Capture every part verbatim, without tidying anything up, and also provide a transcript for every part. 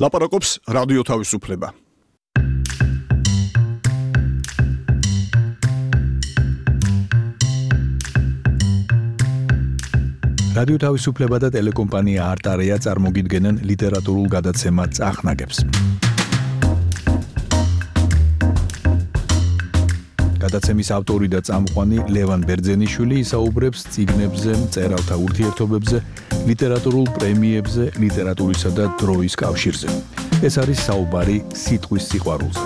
ლაპარაკობს რადიო თავისუფლება. რადიო თავისუფლება და ტელეკომპანია არტარია წარმოგიდგენენ ლიტერატურულ გადაცემა წახნაგებს. გადაცემის ავტორი და წამყვანი ლევან ბერძენიშვილი ისაუბრებს წიგნებზე, მწერალთა ურთიერთობებზე, ლიტერატურულ პრემიებზე, ლიტერატურისა და დროის კავშირზე. ეს არის საუბარი სიტყვის სიყვარულზე.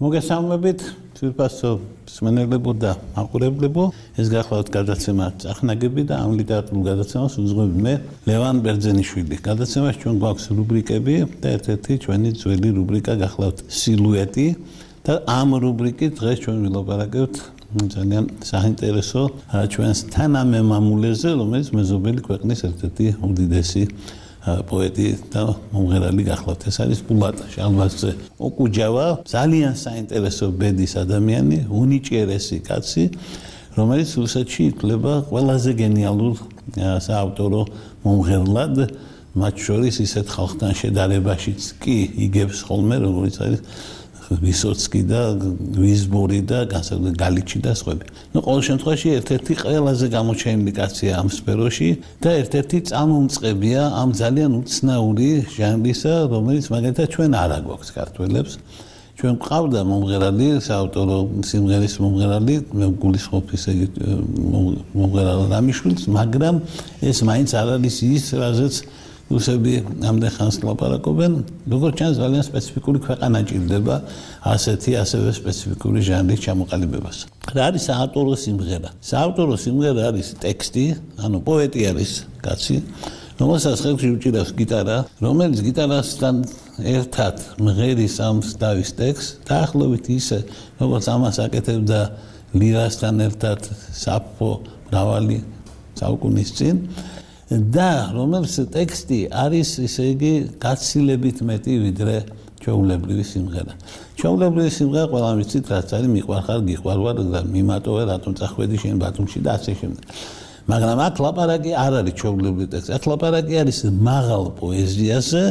მოგესალმებით, ძვირფასო მსმენელებო და მაყურებლებო, ეს გახლავთ გადაცემა წახნაგები და ამ ლიტერატურულ გადაცემას უძღვები მე, ლევან ბერძენიშვილი. გადაცემას ჩვენ გვაქვს რუბრიკები და ერთ-ერთი ჩვენი ძველი რუბრიკა გახლავთ სილუეტი და ამ რუბრიკით დღეს ჩვენ ვილაპარაკებთ ძალიან საინტერესო ჩვენს თანამემამულეზე, რომელიც მეზობელი ქვეყნის ერთ-ერთი უდიდესი პოეტი და მომღერალი გახლავთ. ეს არის ბულატ შალვაზზე ოკუჯავა, ძალიან საინტერესო ბედის ადამიანი, უნიჭიერესი კაცი, რომელიც რუსეთში ითვლება ყველაზე გენიალურ საავტორო მომღერლად, მათ შორის ისეთ ხალხთან შედარებაშიც კი იგებს ხოლმე, როგორც არის ვისოცკი და ვიზბორი და განსაკუთრებით გალიჩი და სხვები. ნუ ყოველ შემთხვევაში ერთ-ერთი ყველაზე გამოჩენილი კაცია ამ სფეროში და ერთ-ერთი წამომწყებია ამ ძალიან უცნაური ჟანრისა, რომელიც მაგალითად ჩვენ არ აგვაქვს ქართველებს. ჩვენ გვყავდა მომღერალი, საავტორო სიმღერის მომღერალი, მე გულისხმობ ისე მომღერალ რამიშვილს, მაგრამ ეს მაინც არ არის ის, რაზეც რუსები ამდენ ხანს ლაპარაკობენ, როგორც ჩანს ძალიან სპეციფიკური ქვეყანა ჭირდება ასეთი ასევე სპეციფიკური ჟანრის ჩამოყალიბებას. რა არის საავტორო სიმღერა? საავტორო სიმღერა არის ტექსტი, ანუ პოეტი არის კაცი, რომელსაც ხელში უჭირავს გიტარა, რომელიც გიტარასთან ერთად მღერის ამ დავის ტექსტს, დაახლოებით ისე, როგორც ამას აკეთებდა ლირასთან ერთად საფო მრავალი საუკუნის წინ. და რომელიც ტექსტი არის ისე იგი გაცილებით მეტი ვიდრე ჩვეულებრივი სიმღერა. ჩვეულებრივი სიმღერა ყველა ვიცით რაც არის მიყვარხარ გიყვარვარ და მიმატოვე რატომ წახვედი შენ ბათუმში და ასე შემდეგ. მაგრამ აქ ლაპარაკი არ არის ჩვეულებრივი ტექსტი. აქ ლაპარაკი არის მაღალ პოეზიაზე,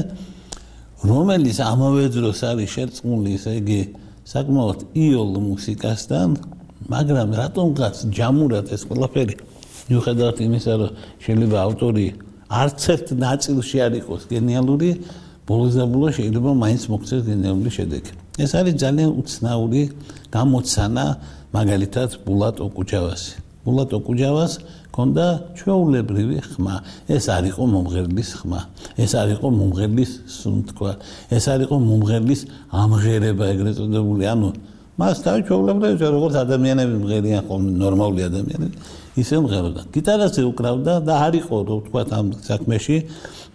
რომელიც ამავე დროს არის შერწყმული ისე იგი საკმაოდ იოლ მუსიკასთან, მაგრამ რატომღაც ჯამურად ეს ყველაფერი მიუხედავად იმისა, რომ შეიძლება ავტორი არც ერთ ნაწილში არ იყოს გენიალური, ბოლოს და ბოლოს შეიძლება მაინც მოქცეს გენიალური შედეგი. ეს არის ძალიან უცნაური გამოცანა, მაგალითად ბულატ ოკუჯავასი. ბულატ ოკუჯავას ჰქონდა ჩვეულებრივი ხმა. ეს არ იყო მომღერლის ხმა. ეს არ იყო მომღერლის სუნთქვა. ეს არ იყო მომღერლის ამღერება ეგრეთ წოდებული. ანუ მას თავი ჩვეულებრივი როგორც ადამიანები მღერიან ხოლმე ნორმალური ადამიანები. ისე მღეროდა. გიტარაზე უკრავდა და არ იყო, რო ვთქვა ამ საქმეში,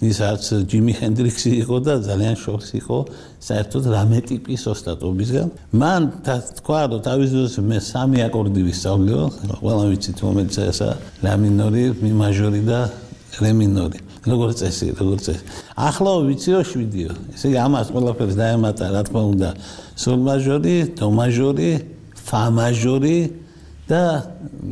ის არც ჯიმი ჰენდრიქსი იყო და ძალიან შორს იყო საერთოდ რამე ტიპის ოსტატობისგან. მან თქვა, რომ თავის დროს მე სამი აკორდი ვისწავლიო, ყველა ვიცით, რომელიც ესა ლა მინორი, მი მაჟორი და რე მინორი. როგორც წესი, როგორც წესი. ახლა ვიციო შვიდიო. ესე იგი ამას ყველაფერს დაემატა, რა თქმა უნდა, სოლ მაჟორი, დო მაჟორი, ფა მაჟორი და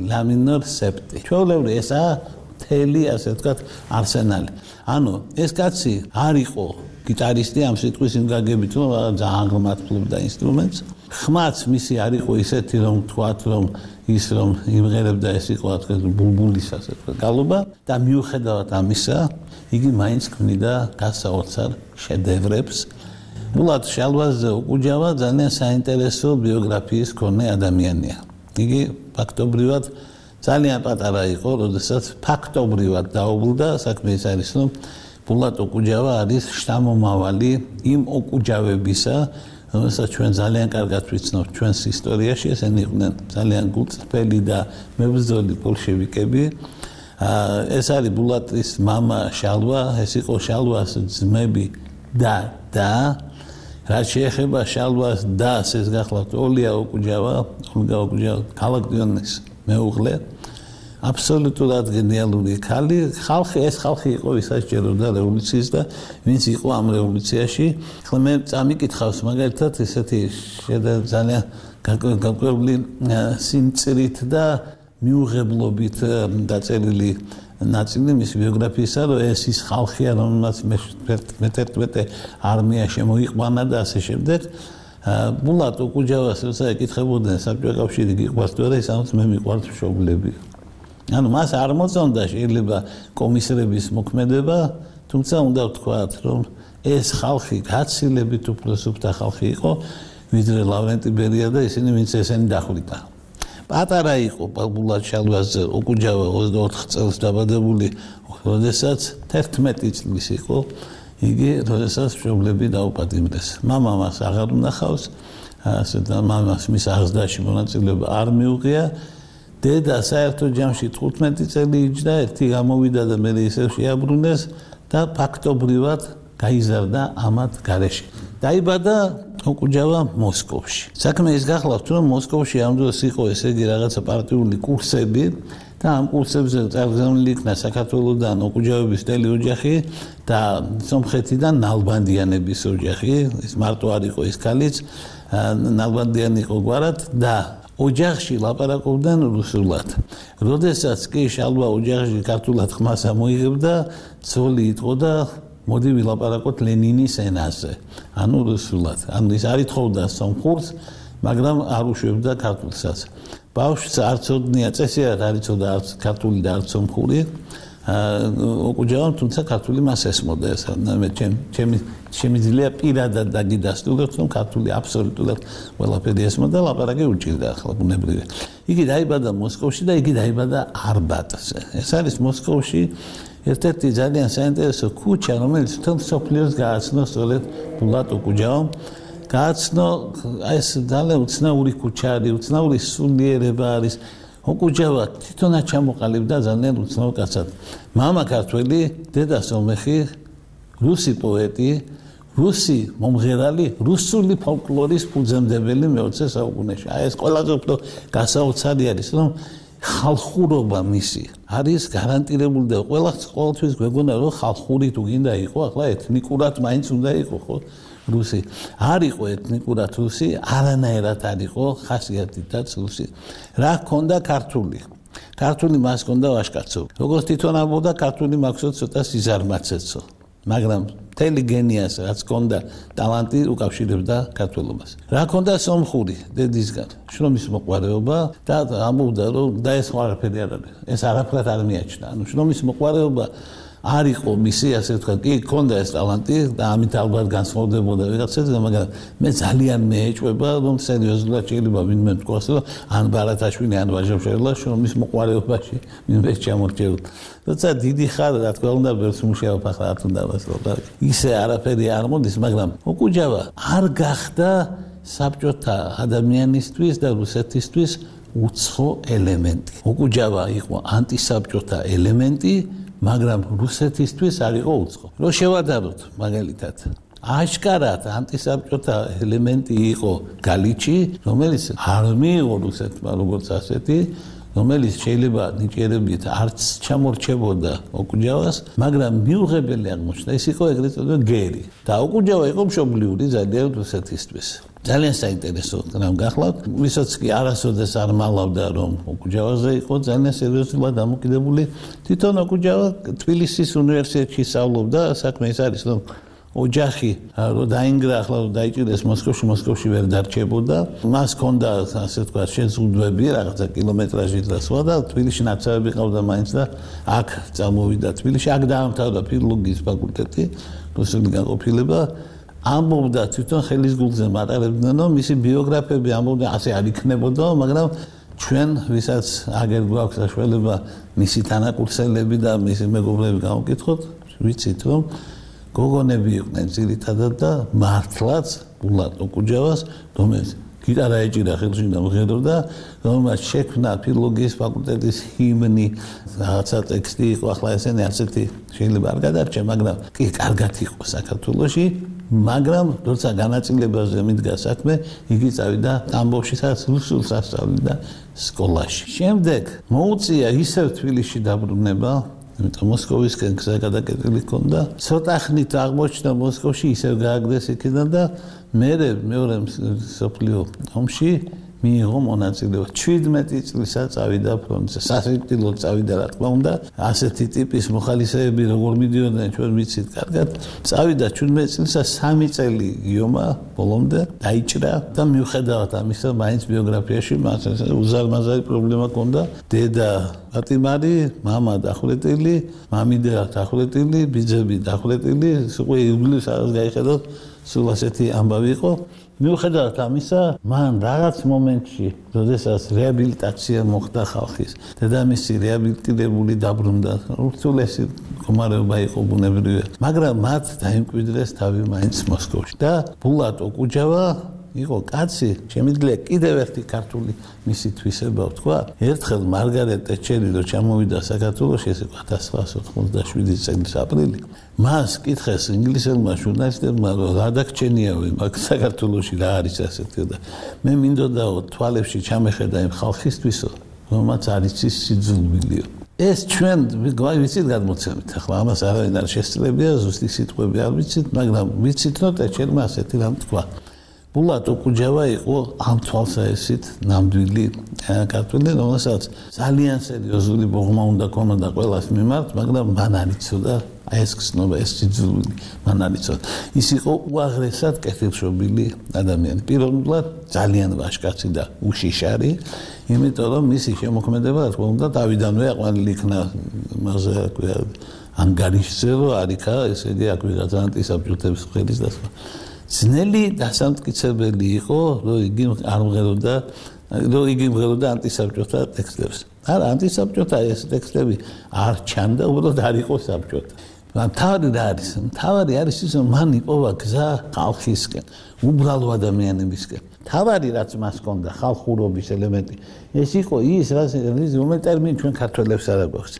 ლა მინორ სეპტი. ჩვეულებრივი ესაა მთელი, ასე ვთქვათ, არსენალი. ანუ ეს კაცი არ იყო გიტარისტი ამ სიტყვის იმ გაგებით, რომ ძალიან ღრმად ფლობდა ინსტრუმენტს. ხმაც მისი არ იყო ისეთი, რომ თქვათ, რომ ის რომ იმღერებდა ეს იყო, ასე ვთქვათ, ბულბულის ასე ვთქვათ, გალობა და მიუხედავად ამისა, იგი მაინც ქმნიდა გასაოცარ შედევრებს. ბულატ შალვაზზე ოკუჯავა ძალიან საინტერესო ბიოგრაფიის მქონე ადამიანია. იგი ფაქტობრივად ძალიან პატარა იყო, როდესაც ფაქტობრივად დაობლდა, საქმე ის არის, რომ ბულატ ოკუჯავა არის შთამომავალი იმ ოკუჯავებისა, რომელსაც ჩვენ ძალიან კარგად ვიცნობთ ჩვენს ისტორიაში, ესენი იყვნენ ძალიან გულწრფელი და მებრძოლი ბოლშევიკები. ეს არის ბულატის მამა შალვა, ეს იყო შალვას ძმები და და რაც შეეხება შალვას დას, ეს გახლავთ ოლია ოკუჯავა, ოლგა ოკუჯავა, ქალაქ დიონის მეუღლე, აბსოლუტურად გენიალური ქალი, ხალხი, ეს ხალხი იყო, ვისაც ჯეროდა რევოლუციის და ვინც იყო ამ რევოლუციაში. ახლა მე წამიკითხავს მაგალითად ესეთი ძალიან გაკვირვებული სიმწირით და მიუღებლობით დაწერილი ნაწილი მის ბიოგრაფიისა, რომ ეს ის ხალხია, რომელმაც მეთერთმეტე არმია შემოიყვანა და ასე შემდეგ. ბულად ოკუჯავას როცა ეკითხებოდნენ საბჭოთა კავშირი გიყვართ თუ არა, ის ამბობს მე მიყვართ მშობლები. ანუ მას არ მოწონდა შეიძლება კომისრების მოქმედება, თუმცა უნდა ვთქვათ, რომ ეს ხალხი გაცილებით უფრო სუფთა ხალხი იყო, ვიდრე ლავრენტი ბერია და ისინი ვინც ესენი დახვრიტა. პატარა იყო ბულად შალვაზე ოკუჯავა ოცდაოთხ წელს დაბადებული, როდესაც თერთმეტი წლის იყო, იგი როდესაც მშობლები დაუპატიმრეს. მამა მას აღარ უნახავს, ასე და მამას მის აღზრდაში მონაწილეობა არ მიუღია. დედა საერთო ჯამში თხუთმეტი წელი იჯდა, ერთი გამოვიდა და მე ისევ შეაბრუნეს და ფაქტობრივად გაიზარდა ამათ გარეშე. დაიბადა ოკუჯავა მოსკოვში. საქმე ის გახლავთ, რომ მოსკოვში ამ დროს იყო ესე იგი რაღაცა პარტიული კურსები და ამ კურსებზე წარგზავნილი იქნა საქართველოსდან ოკუჯავების მთელი ოჯახი და სომხეთიდან ნალბანდიანების ოჯახი, ის მარტო არ იყო ის ქალიც, ნალბანდიანი იყო გვარად და ოჯახში ლაპარაკობდნენ რუსულად. როდესაც კი შალვა ოჯახში ქართულად ხმას ამოიღებდა, ცოლი იტყოდა მოდი ვილაპარაკოთ ლენინის ენაზე, ანუ რუსულად. ანუ ის არ ითხოვდა სომხურს, მაგრამ არ უშვებდა ქართულსაც. ბავშვს არ ცოდნია, წესიერ არ იცოდა არც ქართული და არც სომხური. ოკუჯავამ თუმცა ქართული მას ესმოდა ეს. მე ჩემი შემიძლია პირადად დაგიდასტუროთ, რომ ქართული აბსოლუტურად ყველაფერი ესმოდა, ლაპარაკი უჭირდა ახლა ბუნებრივია. იგი დაიბადა მოსკოვში და იგი დაიბადა არბატზე. ეს არის მოსკოვში ერთ-ერთი ძალიან საინტერესო ქუჩა, რომელიც თელ სოფლიოს გააცნო სწორედ ბულად ოკუჯავამ. გააცნო ეს ძალიან უცნაური ქუჩა არის, უცნაური სულიერება არის. ოკუჯავა თვითონაც ჩამოყალიბდა ძალიან უცნაურ კაცად. მამა ქართველი, დედა სომეხი, რუსი პოეტი, რუსი მომღერალი, რუსული ფოლკლორის ფუძემდებელი მეოცე საუკუნეში. აი ეს ყველაზე უფრო გასაოცარი არის, რომ ხალხურობა მისი არის გარანტირებული და ყველა ყოველთვის გვეგონა რომ ხალხური თუ გინდა იყო, ახლა ეთნიკურად მაინც უნდა იყო, ხო? რუსი არ იყო ეთნიკურად რუსი, არანაირად არ იყო ხასიათითაც რუსი. რა ჰქონდა ქართული? ქართული მას ჰქონდა ვაჟკაცო. როგორც თვითონ ამბობდა, ქართული მაქვს ცოტა სიზარმაცეცო. მაგრამ მთელი გენიას რაც ჰქონდა ტალანტი უკავშირებდა ქართველობას. რა ჰქონდა სომხური დედისგან, შრომის მოყვარეობა და ამბობდა რომ და ეს ყველაფერი არ არის. ეს არაფრად არ მიაჩნდა. ანუ შრომის მოყვარეობა არ იყო მისი, ასე ვთქვათ, კი ჰქონდა ეს ტალანტი და ამით ალბათ განსხვავდებოდა ვიღაცაზე, მაგრამ მე ძალიან მეეჭვება, რომ სერიოზულად შეიძლება ვინმე თქვას, რომ ან ბარათაშვილი, ან ვაჟა-მშობლა შრომის მოყვარეობაში ვინმე ჩამორჩეულ. როცა დიდი ხარ, რა თქმა უნდა, ბევრს მუშაობ, ახლა არ უნდა ვასრულო. ისე არაფერი არ მოდის, მაგრამ ოკუჯავა არ გახდა საბჭოთა ადამიანისთვის და რუსეთისთვის უცხო ელემენტი. ოკუჯავა იყო ანტისაბჭოთა ელემენტი, მაგრამ რუსეთისთვის არ იყო უცხო. რო შევადაროთ მაგალითად, აშკარად ანტისაბჭოთა ელემენტი იყო გალიჩი, რომელიც არ მიიღო რუსეთმა როგორც ასეთი, რომელიც შეიძლება ნიჭიერებით არც ჩამორჩებოდა ოკუჯავას, მაგრამ მიუღებელი აღმოჩნდა. ის იყო ეგრეთ წოდებული გერი და ოკუჯავა იყო მშობლიური ძალიან რუსეთისთვის. ძალიან საინტერესო რამ გახლავთ, ვისაც კი არასოდეს არ მალავდა რომ ოკუჯავაზე იყო ძალიან სერიოზულად დამოკიდებული. თვითონ ოკუჯავა თბილისის უნივერსიტეტში სწავლობდა, საქმე ის არის რომ ოჯახი რო დაინგრა, ახლა რო დაიჭირეს მოსკოვში, მოსკოვში ვერ დარჩებოდა. მას ჰქონდა ასე ვთქვათ შეზღუდვები, რაღაცა კილომეტრაჟით და სხვა და თბილისში ნაცავები ყავდა მაინც და აქ წამოვიდა თბილისში, აქ დაამთავრა ფილოლოგიის ფაკულტეტი, რუსული განყოფილება. ამბობდა თვითონ ხელის გულზე მატარებდნენ, რომ მისი ბიოგრაფები ამბობდა ასე არ იქნებოდა, მაგრამ ჩვენ ვისაც აგერ გვაქვს საშუალება მისი თანაკურსელები და მისი მეგობრები გავუკითხოთ, ვიცით რომ გოგონები იყვნენ ძირითადად და მართლაც ბულად ოკუჯავას, რომელიც გიტარა ეჭირა ხელში და მღეროდა, რომელმაც შექმნა ფილოლოგიის ფაკულტეტის ჰიმნი, რაღაცა ტექსტი იყო, ახლა ესენი ასეთი შეიძლება არ გადარჩა, მაგრამ კი კარგად იყო საქართველოში. მაგრამ როცა განაწილებაზე მიდგა საქმე, იგი წავიდა ტამბოვში, სადაც რუსულს ასწავლიდა სკოლაში. შემდეგ მოუწია ისევ თბილისში დაბრუნება, იმიტომ მოსკოვისკენ გზა გადაკეტილი ჰქონდა. ცოტა ხნით აღმოჩნდა მოსკოვში, ისევ გააგდეს იქიდან და მერე მეორე მსოფლიო ომში მიიღო მონაწილეობა. შვიდმეტი წლისა წავიდა ფრონტზე. სასიკვდილოდ წავიდა რა თქმა უნდა. ასეთი ტიპის მოხალისეები როგორ მიდიოდნენ ჩვენ ვიცით კარგად. წავიდა შვიდმეტი წლისა სამი წელი იომა ბოლომდე დაიჭრა და მიუხედავად ამისა მაინც ბიოგრაფიაში მას უზარმაზარი პრობლემა ჰქონდა. დედა პატიმარი, მამა დახვრეტილი, მამიდა დახვრეტილი, ბიძები დახვრეტილი, უკვე იგლის არის გაიხედოთ სულ ასეთი ამბავი იყო. მიუხედავად ამისა, მან რაღაც მომენტში, როდესაც რეაბილიტაცია მოხდა ხალხის, დედამისი რეაბილიტირებული დაბრუნდა, ურთულესი მდგომარეობა იყო ბუნებრივია, მაგრამ მათ დაიმკვიდრეს თავი მაინც მოსკოვში. და ბულატ ოკუჯავა იყო კაცი, შემიძლია კიდევ ერთი ქართული მისი თვისება ვთქვა. ერთხელ მარგარეტ ტეტჩერი რო ჩამოვიდა საქართველოში, ეს იყო ათას ცხრაასი ოცდაშვიდი წლის აპრილი. მას კითხეს ინგლისელმა ჟურნალისტებმა, რომ რა დაგჩენიავი მაგ საქართველოში რა არის ასეთი და მე მინდოდაო თვალებში ჩამეხედა იმ ხალხისთვისო, რომაც არ იცის სიძულვილიო. ეს ჩვენ ვიცით გადმოცემით, ახლა ამას არავინ არ შესწრებია, ზუსტი სიტყვები არ ვიცით, მაგრამ ვიცით, რომ ტეტჩერმა ასეთი რამ თქვა. ბულატ ოკუჯავა იყო ამ თვალსაჩინით ნამდვილი ქართველი, რომელსაც ძალიან სერიოზული ბოღმა უნდა ქონოდა ყველას მიმართ, მაგრამ მან არ იცოდა აი ეს გზნობა, ეს სიძულვილი მან არ იცოდა. ის იყო უაღრესად კეთილშობილი ადამიანი. პირველად ძალიან ვაჟკაცი და უშიშარი, იმიტომ რომ მისი შემოქმედება რა თქმა უნდა თავიდანვე აყვანილი იქნა მასე ანგარიშზე, რომ არიქა, ესე იგი აქ ვიღაც ანტისაბჭოთების ხელის და სხვა. ძნელი დასამტკიცებელი იყო, რომ იგი არ მღეროდა, რომ იგი მღეროდა ანტისაბჭოთა ტექსტებს. არა, ანტისაბჭოთა ეს ტექსტები არ ჩანდა, უბრალოდ არ იყო საბჭოთა. მთავარი რა არის? მთავარი არის ის, რომ მან იპოვა გზა ხალხისკენ, უბრალო ადამიანებისკენ. მთავარი რაც მას ჰქონდა, ხალხურობის ელემენტი. ეს იყო ის, რომელიც ტერმინი ჩვენ ქართველებს არ აქვს.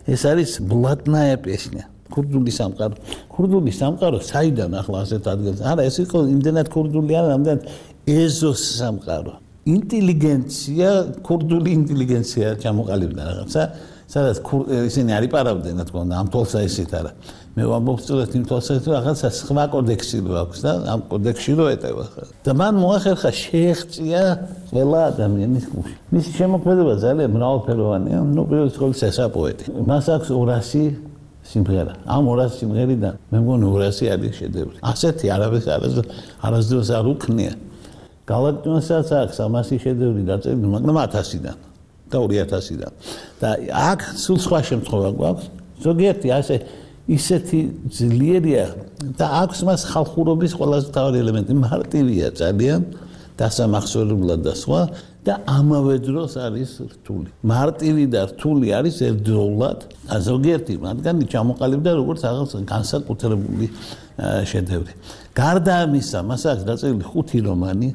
ეს არის ბლატნაია პესნია. ქურდული სამყარო. ქურდული სამყარო საიდან ახლა ასეთ ადგილზე? არა, ეს იყო იმდენად ქურდული არა, ამდენ ეზოს სამყარო. ინტელიგენცია, ქურდული ინტელიგენცია ჩამოყალიბდა რაღაცა, სადაც ისინი არ იპარავდნენ, რა თქმა უნდა, ამ თვალსაჩინით არა. მე ვამბობ სწორედ იმ თვალსაჩინით, რაღაცა სხვა კოდექსი რო აქვს და ამ კოდექსში რო ეტევა. და მან მოახერხა შეეღწია ყველა ადამიანის გულში. მისი შემოქმედება ძალიან მრავალფეროვანია, ნუ პირველ რიგში ეს პოეტი. მას აქვს ორასი სიმღერა. ამ ორასი სიმღერიდან მე მგონი ორასი არის შედევრი. ასეთი არავის არასდროს არ უქნია. გალაქტიონსაც აქვს ამასი შედევრი დაწერილი, მაგრამ ათასიდან და ორი ათასიდან. და აქ სულ სხვა შემთხვევა გვაქვს. ზოგიერთი ასე ისეთი ძლიერია და აქვს მას ხალხურობის ყველაზე მთავარი ელემენტი, მარტივია ძალიან, დასამახსოვრებლად და სხვა. და ამავე დროს არის რთული. მარტივი და რთული არის ერთდროულად. ზოგიერთი მათგანი ჩამოყალიბდა როგორც რაღაც განსაკუთრებული შედევრი. გარდა ამისა, მას აქვს დაწერილი ხუთი რომანი,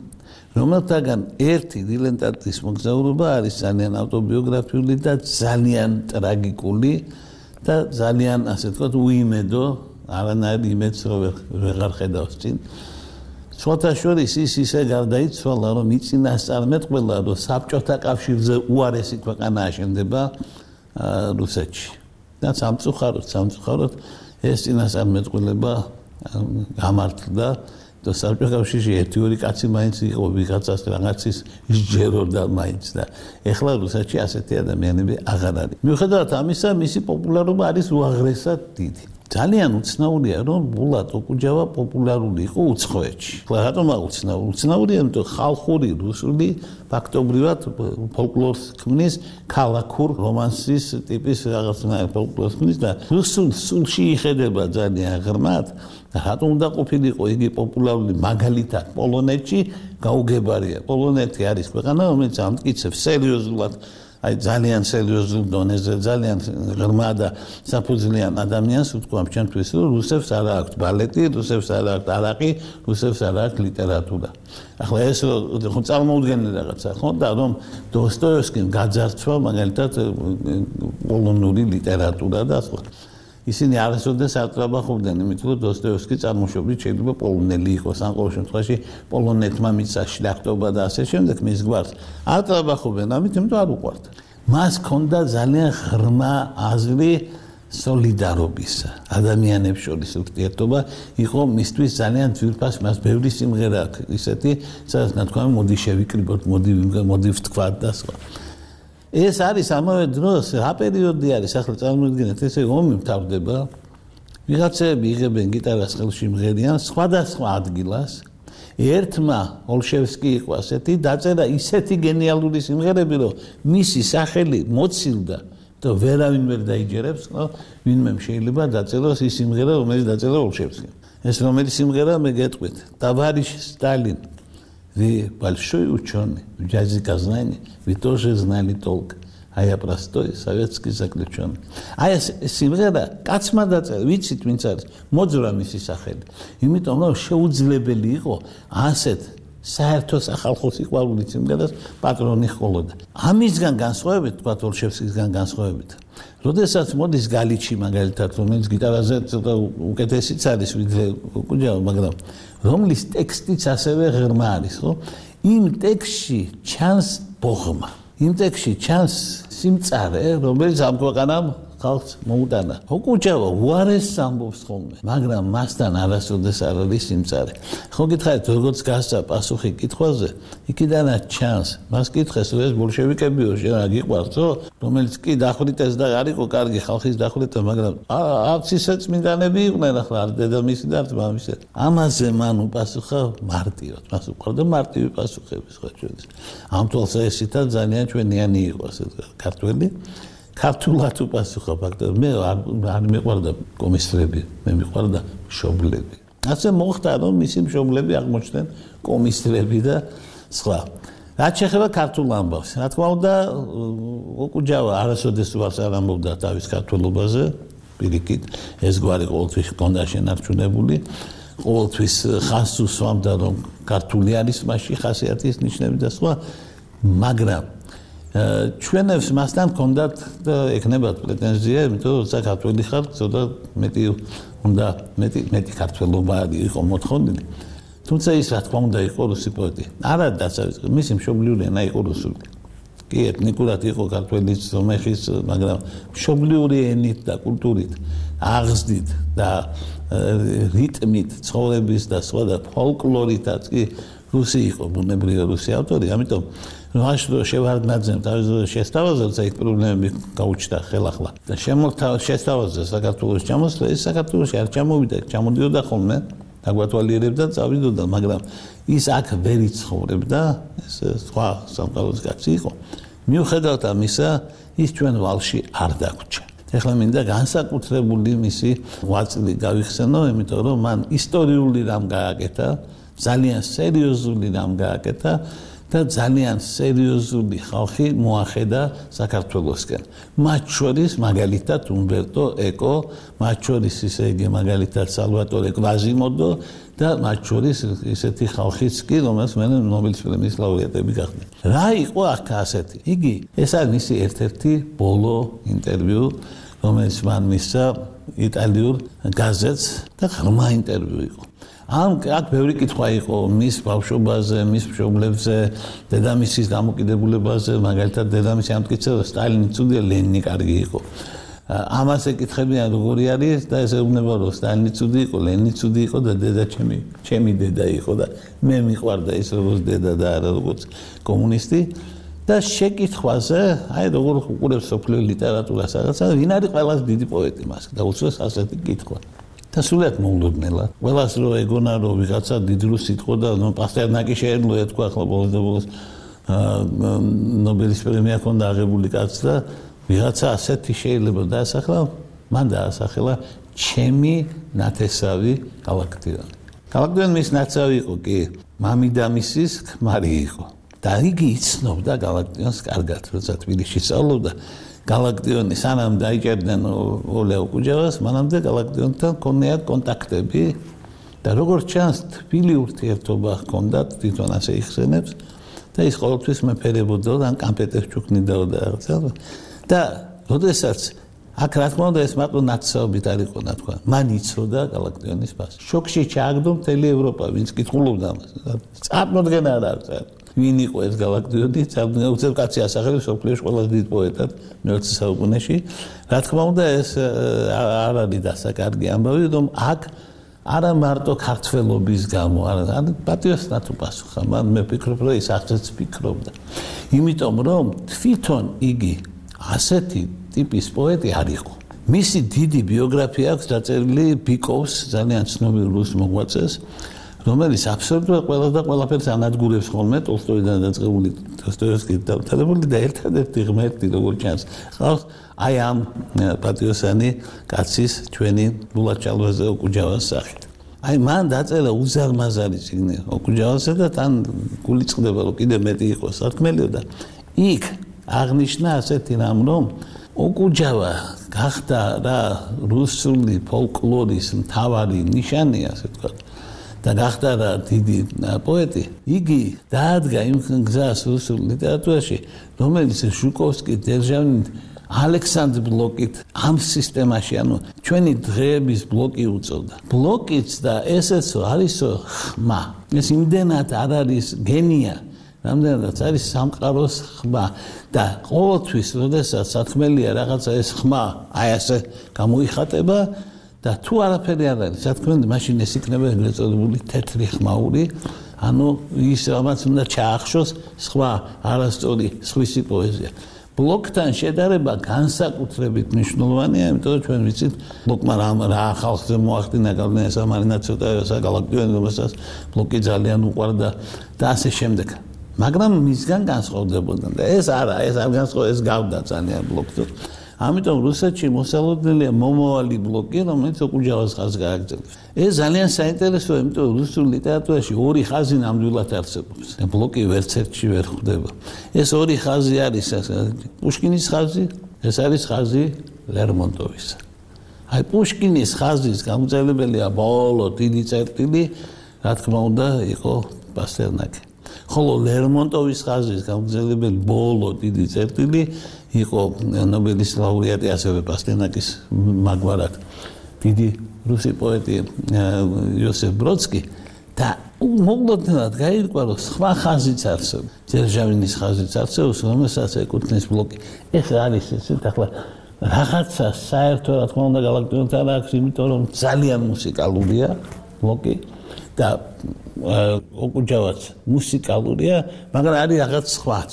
რომელთაგან ერთი დილენტატის მოგზაურობა არის ძალიან ავტობიოგრაფიული და ძალიან ტრაგიკული და ძალიან ასე ვთქვათ უიმედო, არანაირ იმედს რო ვეღარ ხედავს წინ. სხვათა შორის ის ისე გარდაიცვალა, რომ მიწინასწარმეტყველა, რომ საბჭოთა კავშირზე უარესი ქვეყანა აშენდება რუსეთში. და სამწუხაროდ, სამწუხაროდ ეს წინასწარმეტყველება გამართლდა და საბჭოთა კავშირში ერთი ორი კაცი მაინც იყო, ვიღაცას რაღაცის ისჯეროდა მაინც და ეხლა რუსეთში ასეთი ადამიანები აღარ არის. მიუხედავად ამისა, მისი პოპულარობა არის უაღრესად დიდი. ძალიან უცნაურია, რომ ბულატ ოკუჯავა პოპულარული იყო უცხოეთში. რატომ უცნაური? უცნაურია, იმიტომ ხალხური რუსული ფაქტობრივად ფოლკლორს ქმნის, ქალაქურ რომანსის ტიპის რაღაცნაირ ფოლკლორს ქმნის და რუსულ სულში იხედება ძალიან ღრმად. რატომ უნდა ყოფილიყო იგი პოპულარული მაგალითად პოლონეთში გაუგებარია. პოლონეთი არის ქვეყანა, რომელიც ამტკიცებს სერიოზულად აი ძალიან სერიოზულ დონეზე, ძალიან ღრმა და საფუძვლიან ადამიანს ვთქვამ ჩვენთვის, რომ რუსებს არ აქვს ბალეტი, რუსებს არ აქვს არაყი, რუსებს არ აქვს ლიტერატურა. ახლა ეს ხო წარმოუდგენელი რაღაცა ხო და რომ დოსტოევსკიმ გაძარცვა მაგალითად პოლონური ლიტერატურა და სხვა. ისინი არასოდეს არ ტრაბახობდნენ, იმიტომ რომ დოსტოევსკი წარმოშობით შეიძლება პოლონელი იყოს, ან ყოველ შემთხვევაში პოლონეთმა მისცა შლახტობა და ასე შემდეგ მის გვარს. არ ტრაბახობენ, ამით იმიტომ არ უყვართ. მას ჰქონდა ძალიან ღრმა აზრი სოლიდარობის ადამიანებს შორის ურთიერთობა იყო მისთვის ძალიან ძვირფას, მას ბევრი სიმღერა აქვს ისეთი, სადაც ნათქვამი მოდი შევიკრიბოთ, მოდი მოდი ვთქვათ და სხვა. ეს არის ამავე დროს რა პერიოდი არის, ახლა წარმოიდგინეთ, ესე ომი მთავრდება, ვიღაცები იღებენ გიტარას ხელში მღერიან სხვადასხვა ადგილას. ერთმა ოლშევსკი იყო ასეთი, დაწერა ისეთი გენიალური სიმღერები, რომ მისი სახელი მოცილდა და ვერავინ ვერ დაიჯერებს, ვინმე შეიძლება დაწეროს ის სიმღერა, რომელიც დაწერა ოლშევსკიმ. ეს რომელი სიმღერა მე გეტყვით, товарищ Сталин, вы большой ученый, в языке знаний, вы тоже знали толк. А я простой советский заключенный. აი ეს სიმღერა კაცმა დაწერა, ვიცით ვინც არის, მოძვრა მისი სახელი. იმიტომ რომ შეუძლებელი იყო ასეთ საერთო სახალხო სიყვარულით სიმღერას პატრონი ჰყოლოდა. ამისგან განსხვავებით, თქვა ოლშევსკისგან განსხვავებით. როდესაც მოდის გალიჩი მაგალითად, რომელიც გიტარაზე ცოტა უკეთესიც არის ვიდრე კუჯავა, მაგრამ რომლის ტექსტიც ასევე ღრმა არის, ხო? იმ ტექსტში ჩანს ბოღმა. იმ ტექსტში ჩანს სიმწარე, რომელიც ამ ქვეყანამ ხალხს მოუტანა. ოკუჯავა უარესს ამბობს ხოლმე, მაგრამ მასთან არასოდეს არ არის სიმწარე. ხო გითხარით, როგორც გასცა პასუხი კითხვაზე, იქიდანაც ჩანს. მას კითხეს, რომ ეს ბოლშევიკებიო, შენ რა გიყვარსო, რომელიც კი დახვრიტეს და არ იყო კარგი ხალხის დახვრიტა, მაგრამ არც ისე წმინდანები იყვნენ, ახლა არ დედამისი და არც მამისი. ამაზე მან უპასუხა მარტივად, მას უყვარდა მარტივი პასუხები სხვა ჩვენს. ამ თვალსაზრისით ძალიან ჩვენიანი იყო ასე ქართველი. ქართულად უპასუხა ფაქტობრივად მე არ მიყვარდა კომისტრები, მე მიყვარდა მშობლები. ასე მოხდა, რომ მისი მშობლები აღმოჩნდნენ კომისტრები და სხვა. რაც შეეხება ქართულ ამბავს, რა თქმა უნდა, ოკუჯავა არასოდეს უარს არ ამბობდა თავის ქართველობაზე, პირიქით, ეს გვარი ყოველთვის ჰქონდა შენარჩუნებული, ყოველთვის ხაზს უსვამდა, რომ ქართული არის მასში ხასიათის ნიშნები და სხვა, მაგრამ ჩვენებს მასთან ჰქონდათ და ეკნებათ პრეტენზია, იმიტომ რომ საქართველოს ხარ, ცოტა მეტი უნდა მეტი მეტი ქართველობა იყო მოთხოვნილი. თუმცა ის რა თქმა უნდა იყო რუსი პოეტი. არა დასაწყისი, მისი მშობლიური ენა იყო რუსული. კი, ეთნიკურად იყო ქართველი სომეხის, მაგრამ მშობლიური ენით და კულტურით, აღზრდით და რიტმით, ცხოვრების და სხვა და ფოლკლორითაც კი რუსი იყო, ბუნებრივი რუსი ავტორი, ამიტომ რაშდო შევარდნაძემ თავის შესთავაზა იქ პრობლემები გაუჩნდა ხელახლა და შემოთავ შესთავაზა საქართველოს ჩამოსვლა, ეს საქართველოში არ ჩამოვიდა, ჩამოდიოდა ხოლმე, დაგვათვალიერებდა, წავიდოდა, მაგრამ ის აქ ვერ იცხოვრებდა, ეს სხვა სამყაროს კაცი იყო. მიუხედავად ამისა, ის ჩვენ ვალში არ დაგვრჩა. ეხლა მინდა განსაკუთრებული მისი ვაწლი გავიხსენო, იმიტომ რომ მან ისტორიული რამ გააკეთა, ძალიან სერიოზული რამ გააკეთა და ძალიან სერიოზული ხალხი მოახედა საქართველოსკენ. მათ შორის მაგალითად უმბერტო ეკო, მათ შორის ისე იგი მაგალითად სალვატორე კვაზიმოდო და მათ შორის ისეთი ხალხიც კი, რომელსაც მე ნობელის პრემიის ლაურეატები გახდნენ. რა იყო აქ ასეთი? იგი ეს არის მისი ერთ-ერთი ბოლო ინტერვიუ, რომელიც მან მისცა იტალიურ გაზეთს და ღრმა ინტერვიუ იყო. ამ აქ ბევრი კითხვა იყო მის ბავშვობაზე, მის მშობლებზე, დედამისის დამოკიდებულებაზე, მაგალითად დედამისი ამტკიცებდა რომ სტალინი ცუდია, ლენინი კარგი იყო. ამას ეკითხებიან როგორი არის და ეს ეუბნება რომ სტალინი ცუდი იყო, ლენინი ცუდი იყო და დედა ჩემი, ჩემი დედა იყო და მე მიყვარდა ის როგორც დედა და არა როგორც კომუნისტი. და შეკითხვაზე, აი როგორ უყურებს სოფლიო ლიტერატურას რაღაცა, ვინ არის ყველაზე დიდი პოეტი მას და უცეს ასეთი კითხვა. და სულად მოულოდნელად. ყველას რო ეგონა რომ ვიღაცა დიდრუ სიტყვა და ნუ პასტერნაკი შეერლო ეთქვა ახლა ბოლოს ნობელის პრემია ჰქონდა აღებული კაც და ვიღაცა ასეთი შეიძლება დაასახლა, მან დაასახელა ჩემი ნათესავი გალაქტიონი. გალაქტიონი მის ნაცავი იყო კი, მამიდამისის ქმარი იყო. და იგი იცნობდა გალაქტიონს კარგად, როცა თბილისში სწავლობდა. გალაქტიონი სანამ დაიჭერდნენ ოლე ოკუჯავას, მანამდე გალაქტიონთან ჰქონდათ კონტაქტები და როგორც ჩანს, თბილი ურთიერთობა ჰქონდათ, თვითონ ასე იხსენებს და ის ყოველთვის მეფერებოდა და კამპეტებს ჩუქნიდაო და რაღაცა. და როდესაც აქ რა თქმა უნდა ეს მარტო ნაცნობით არ იყო ნათქვა. მან იცოდა გალაქტიონის ფასი. შოქში ჩააგდო მთელი ევროპა, ვინც კითხულობდა ამას. წარმოდგენა არ აქვს. ვინ იყო ეს გალაქტიონი? უცებ კაცი ასახელებს სოფლიოში ყველაზე დიდ პოეტად მეოცე საუკუნეში. რა თქმა უნდა, ეს არ არის დასაკარგი ამბავი, რომ აქ არა მარტო ქართველობის გამო, არა, პატიოსნად უპასუხა, მან მე ვფიქრობ, რომ ის ასეც ფიქრობდა. იმიტომ რომ თვითონ იგი ასეთი ტიპის პოეტი არ იყო. მისი დიდი ბიოგრაფია აქვს დაწერილი ბიკოვს, ძალიან ცნობილ რუს მოღვაწეს, რომელიც აბსოლუტურად ყველა და ყველაფერს ანადგურებს ხოლმე ტოლსტოიდან დაწყებული დოსტოევსკის დამთავრებული და ერთადერთი ღმერთი როგორც ჩანს ყავს აი ამ პატიოსანი კაცის ჩვენი ბულაჭალვაზე ოკუჯავას სახით. აი მან დაწერა უზარმაზარი წიგნი ოკუჯავასზე და თან გული წყდება რომ კიდე მეტი იყოს სათქმელიო და იქ აღნიშნა ასეთი რამ რომ ოკუჯავა გახდა რა რუსული ფოლკლორის მთავარი ნიშანი ასე ვთქვათ და გახდა რა დიდი პოეტი. იგი დაადგა იმ გზას რუსულ ლიტერატურაში, რომელიც ჟუკოვსკი, დერჟავინი, ალექსანდრ ბლოკით ამ სისტემაში, ანუ ჩვენი დღეების ბლოკი უწოდა. ბლოკიც და ესეცო არისო ხმა. ეს იმდენად არ არის გენია, რამდენადაც არის სამყაროს ხმა და ყოველთვის, როდესაც სათქმელია რაღაცა ეს ხმა, აი ასე გამოიხატება და თუ არაფერი არ არის, სათქმელი მაშინ ეს იქნება ეგრეთ წოდებული თეთრი ხმაური, ანუ ის რამაც უნდა ჩაახშოს სხვა არასწორი სხვისი პოეზია. ბლოკთან შედარება განსაკუთრებით მნიშვნელოვანია, იმიტომ რომ ჩვენ ვიცით, ბლოკმა რა ხალხზე მოახდინა გავლენა სამარინაცოტა საგალაქტიონი, რომელსაც ბლოკი ძალიან უყვარდა და ასე შემდეგ. მაგრამ მისგან განსხვავდებოდა და ეს არა, ეს არ განსხვავდება, ეს გავდა ძალიან ბლოკზე. ამიტომ რუსეთში მოსალოდნელია მომავალი ბლოკი, რომელიც ოკუჯავას ხაზს გააგრძელებს. ეს ძალიან საინტერესოა, იმიტომ რომ რუსულ ლიტერატურაში ორი ხაზი ნამდვილად არსებობს. ბლოკი ვერც ერთში ვერ ხვდება. ეს ორი ხაზი არის პუშკინის ხაზი, ეს არის ხაზი ლერმონტოვისა. აი პუშკინის ხაზის გამომწვევია ბოლო დიდი წერტილი, რა თქმა უნდა, იყო პასტერნაკი. ხოლო ლერმონტოვის ხაზის გამომწვეველი ბოლო დიდი წერტილი იყო ნობელის ლაურეატი ასევე პასტერნაკის მაგვარად დიდი რუსი პოეტი იოსებ ბროდსკი და მოულოდნელად გაირკვა რომ სხვა ხაზიც არსებობს დერჟავინის ხაზიც არსებობს რომელსაც ეკუთვნის ბლოკი ეს არის ესეთ ახლა რაღაცა საერთო რა თქმა უნდა გალაქტიონთან აქვს იმიტომ რომ ძალიან მუსიკალურია ბლოკი და ოკუჯავაც მუსიკალურია მაგრამ არის რაღაც სხვაც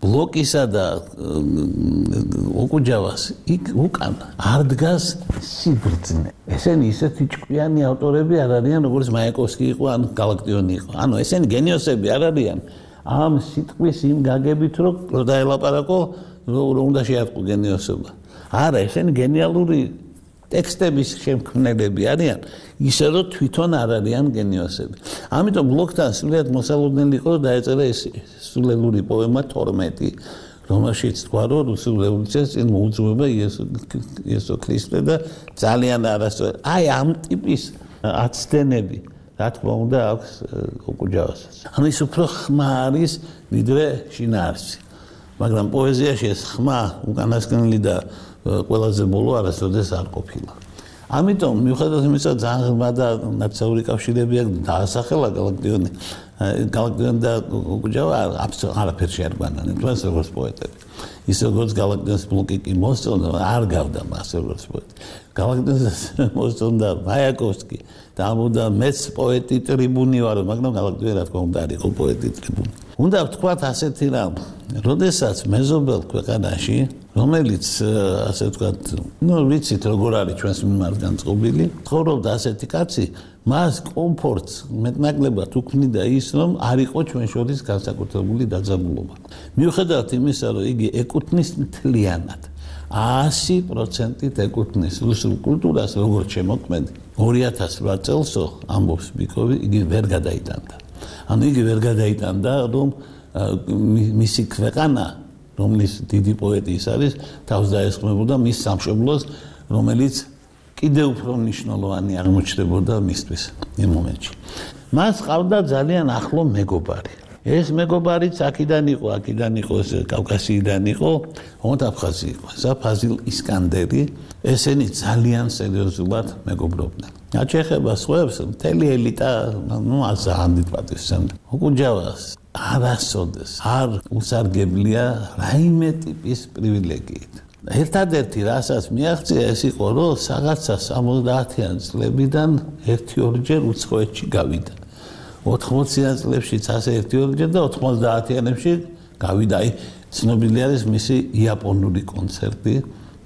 ბლოკისა და ოკუჯავას იქ უკან არ დგას სიბრძნე. ესენი ისეთი ჭკვიანი ავტორები არ არიან, როგორც მაიაკოვსკი იყო, ან გალაქტიონი იყო. ანუ ესენი გენიოსები არ არიან. ამ სიტყვის იმ გაგებით, რომ დაელაპარაკო, რომ უნდა შეატყო გენიოსობა. არა, ესენი გენიალური ტექსტების შემქმნელები არიან, ისე რომ თვითონ არ არიან გენიოსები. ამიტომ ბლოკთან სრულიად მოსალოდნელი იყო, დაეწერა ეს სულელური პოემა თორმეტი, რომელშიც თქვა, რომ რუსულ რევოლუციას წინ მოუძღვება იესო ქრისტე და ძალიან არასწორი. აი ამ ტიპის აცდენები, რა თქმა უნდა, აქვს ოკუჯავასაც. ანუ ის უფრო ხმა არის, ვიდრე შინაარსი. მაგრამ პოეზიაში ეს ხმა უკანასკნელი და ყველაზე ბოლო არასოდეს არ ყოფილა. ამიტომ მიუხედავად იმისა, ძალიან ღრმა და ნაცნობი კავშირები აქვს დაასახელა გალაქტიონი. გალაქტიონი და ოკუჯავა აბსოლუტურად არაფერში არ გვანან, თუმცა როგორც პოეტები. ის როგორც გალაქტიონის ბლოკი კი მოსწონდა, არ გავდა მას როგორც პოეტი. გალაქტიონის მოსწონდა მაიაკოვსკი და ამბობდა მეც პოეტი ტრიბუნი ვარ, მაგრამ გალაქტიონი რა თქმა უნდა არ იყო პოეტი ტრიბუნი. უნდა ვთქვათ ასეთი რამ, როდესაც მეზობელ ქვეყანაში, რომელიც ასე ვთქვათ, ნუ ვიცით როგორ არის ჩვენს მიმართ განწყობილი, ცხოვრობდა ასეთი კაცი, მას კომფორტს მეტნაკლებად უქმნიდა ის, რომ არ იყო ჩვენ შორის განსაკუთრებული დაძაბულობა. მიუხედავად იმისა, რომ იგი ეკუთვნის მთლიანად ასი პროცენტით ეკუთვნის რუსულ კულტურას, როგორც შემოქმედი, ორი ათას რვა წელსო ამბობს ბიკოვი, იგი ვერ გადაიტანდა. ანუ იგი ვერ გადაიტანდა, რომ მისი ქვეყანა, რომლის დიდი პოეტი ის არის, თავს დაესხმებოდა მის სამშობლოს, რომელიც კიდევ უფრო მნიშვნელოვანი აღმოჩნდებოდა მისთვის იმ მომენტში. მას ყავდა ძალიან ახლო მეგობარი. ეს მეგობარიც აქედან იყო, აქედან იყო, კავკასიიდან იყო, თუმცა აფხაზი იყო. ეს ფაზილ ისკანდერი, ესენი ძალიან სერიოზულად მეგობრობდნენ. რაც შეეხება სხვებს, მთელი ელიტა, ნუ ასა ამდით პატივს სცემდა. ოკუჯავას არასოდეს არ უსარგებლია რაიმე ტიპის პრივილეგიით. ერთადერთი რასაც მიაღწია ეს იყო რომ რაღაცა სამოცდაათიან წლებიდან ერთი ორჯერ უცხოეთში გავიდა. ოთხმოციან წლებშიც ასე ერთი ორჯერ და ოთხმოცდაათიანებში გავიდა. აი ცნობილი არის მისი იაპონური კონცერტი.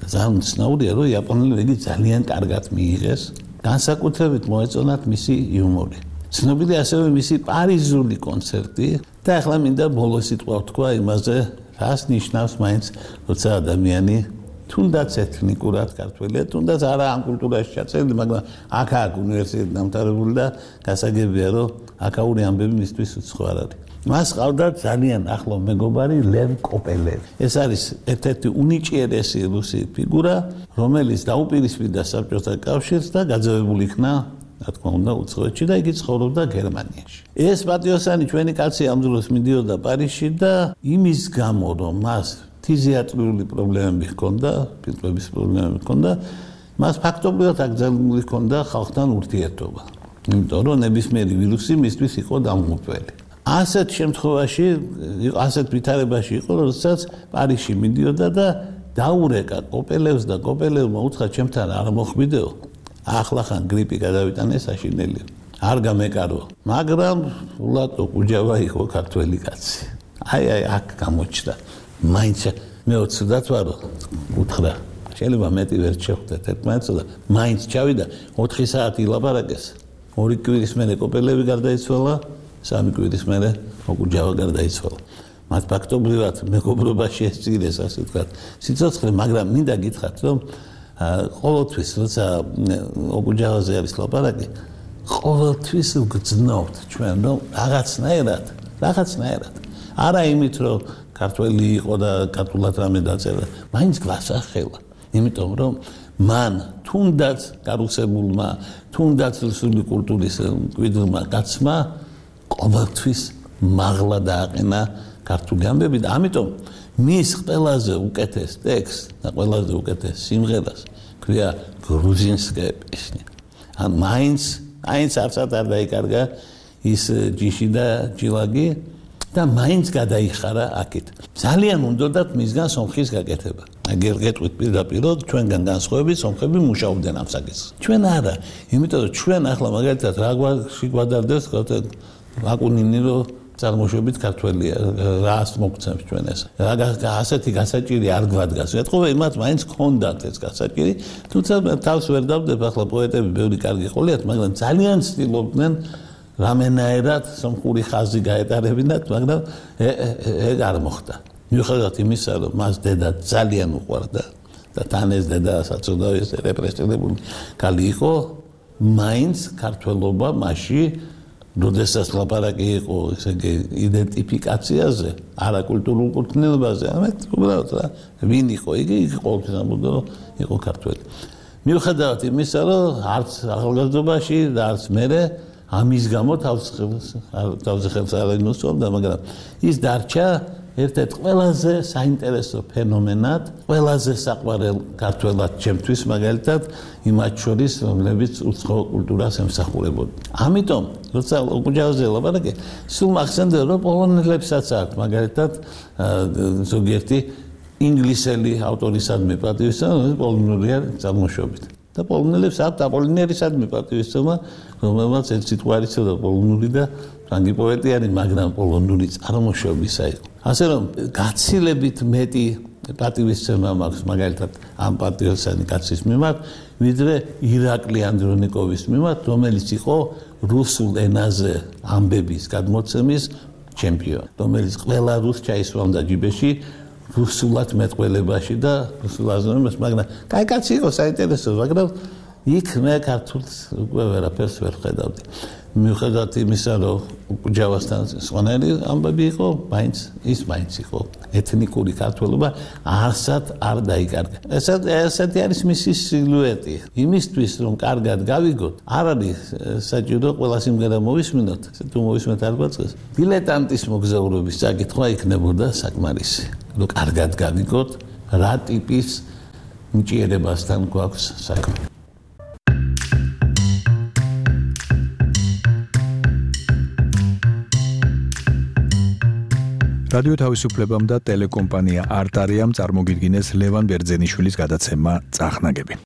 ძალიან ცნობილია რომ იაპონელი იგი ძალიან კარგად მიიღეს. განსაკუთრებით მოეწონათ მისი იუმორი. ცნობილია ასევე მისი პარიზული კონცერტი და ახლა მინდა ბოლოს სიტყვა ვთქვა იმაზე რას ნიშნავს მაინც როცა ადამიანი თუნდაც ეთნიკურად ქართველია, თუნდაც არა ამ კულტურაში ჩაწერილი, მაგრამ აქ-აქ უნივერსიტეტი დამთავრებული და გასაგებია რომ აქაური ამბები მისთვის უცხო არ არის. მას ყავდა ძალიან ახლო მეგობარი ლევ კოპელევი. ეს არის ერთ-ერთი უნიჭიერესი რუსი ფიგურა, რომელიც დაუპირისპირდა საბჭოთა კავშირს და გაძევებული იქნა რა თქმა უნდა უცხოეთში და იგი ცხოვრობდა გერმანიაში. ეს პატიოსანი ჩვენი კაცი ამ დროს მიდიოდა პარიზში და იმის გამო რომ მას ფიზიატრიული პრობლემები ჰქონდა, ფილტვების პრობლემები ჰქონდა, მას ფაქტობრივად აკრძალული ჰქონდა ხალხთან ურთიერთობა. იმიტომ რომ ნებისმიერი ვირუსი მისთვის იყო დამღუპველი. ასეთ შემთხვევაში, ასეთ ვითარებაში იყო, როდესაც პარიზში მიდიოდა და დაურეკა კოპელევს და კოპელევმა უთხრა ჩემთან არ მოხვიდეო. ახლა ხან გრიპი გადავიტანე საშინელი. არ გამეკარო. მაგრამ ულატო კუჯავა იყო ქართველი კაცი. აი აი აქ გამოჩნდა. მაინც მე უცდათ ვარო უთხრა. შეიძლება მეტი ვერ შეხვდეთ ერთმანეთს და მაინც ჩავიდა ოთხი საათი ლაპარაკეს. ორი კვირის მერე კოპელევი გარდაიცვალა, სამი კვირის მერე კუჯავა გარდაიცვალა. მათ ფაქტობრივად მეგობრობაში ესწირეს ასე ვთქვათ სიცოცხლე, მაგრამ მინდა გითხრათ რომ ყოველთვის როცა ოკუჯავაზე არის ლაპარაკი, ყოველთვის ვგრძნობთ ჩვენ რომ რაღაცნაირად, რაღაცნაირად. არა იმით რომ ქართველი იყო და ქართულად რამე დაწერა, მაინც გასახელა. იმიტომ რომ მან თუნდაც გარუსებულმა, თუნდაც რუსული კულტურის მკვიდრმა კაცმა ყოველთვის მაღლა დააყენა ქართული ამბები და ამიტომ მის ყველაზე უკეთეს ტექსტს და ყველაზე უკეთეს სიმღერას ქვია გრუზინსკაია პესნია. ან მაინც, მაინც არცად არ დაიკარგა ის ჯიში და ჯილაგი და მაინც გადაიხარა აქეთ. ძალიან უნდათ მისგან სომხის გაკეთება. აგერ გეტყვით პირდაპირ, ჩვენგან განსხვავებით სომხები მუშაობდნენ ამ საკითხს. ჩვენ არა, იმიტომ რომ ჩვენ ახლა მაგალითად რა გვაგვადარდეს აკუნინი რომ წარმოშობით ქართველია, რას მოგცემს ჩვენ ეს. რა ასეთი გასაჭირი არ გვადგას. ეთყობა იმათ მაინც ჰქონდათ ეს გასაჭირი, თუმცა თავს ვერ დავდებ, ახლა პოეტები ბევრი კარგი ყოლიათ, მაგრამ ძალიან ცდილობდნენ რამენაერად სომხური ხაზი გაეტარებინათ, მაგრამ ეგ არ მოხდა. მიუხედავად იმისა, რომ მას დედა ძალიან უყვარდა და თან ეს დედა საწოდავი რეპრესირებული ქალი იყო, მაინც ქართველობა მასში როდესაც ლაპარაკი იყო ესე იგი იდენტიფიკაციაზე, არა კულტურულ კუთვნილებაზე, ამეთ უბრალოდ რა, ვინ იყო იგი, იგი ყოველთვის ამბობდა რომ იყო ქართველი. მიუხედავად იმისა, რომ არც ახალგაზრდობაში და არც მერე ამის გამო თავზე ხელს არ ინუსწორდა, მაგრამ ის დარჩა ერთ-ერთ ყველაზე საინტერესო ფენომენად, ყველაზე საყვარელ ქართველად ჩემთვის მაგალითად იმათ შორის, რომლებიც უცხო კულტურას ემსახურებოდნენ. ამიტომ, როცა ოკუჯავაზე ლაპარაკი, სულ მახსენდება, რომ პოლონელებსაც აქვს მაგალითად ზოგიერთი ინგლისელი ავტორისადმი პატივისცემა, პოლონურია წარმოშობით. და პოლონელებს აქვს აპოლინერისადმი პატივისცემა, რომელმაც ერთ სიტყვა არ იცოდა პოლონური და ფრანგი პოეტი არის, მაგრამ პოლონური წარმოშობისა იყო. ასე რომ გაცილებით მეტი პატივისცემა მაქვს მაგალითად ამ პატიოსანი კაცის მიმართ, ვიდრე ირაკლი ანდრონიკოვის მიმართ, რომელიც იყო რუსულ ენაზე ამბების გადმოცემის ჩემპიონი, რომელიც ყველა რუსს ჩაისვამდა ჯიბეში რუსულად მეტყველებაში და რუსულ აზროვნებაში, მაგრამ კაი კაცი იყო, საინტერესო, მაგრამ იქ მე ქართულს უკვე ვერაფერს ვერ ხედავდი. მიუხედავად იმისა, რომ ოკუჯავასთან სხვანაირი ამბები იყო, მაინც ის მაინც იყო ეთნიკური ქართველობა, არსად არ დაიკარგა. ესეთი არის მისი სილუეტი. იმისთვის, რომ კარგად გავიგოთ, არ არის საჭირო ყველა სიმღერა მოვისმინოთ, თუ მოვისმენთ არ გვაწყდეს. დილეტანტის მოგზაურობის საკითხვა იქნებოდა საკმარისი. რომ კარგად გავიგოთ, რა ტიპის მჭიერებასთან გვაქვს საქმე. რადიო თავისუფლებამ და ტელეკომპანია არტარიამ წარმოგიდგინეს ლევან ბერძენიშვილის გადაცემა წახნაგები.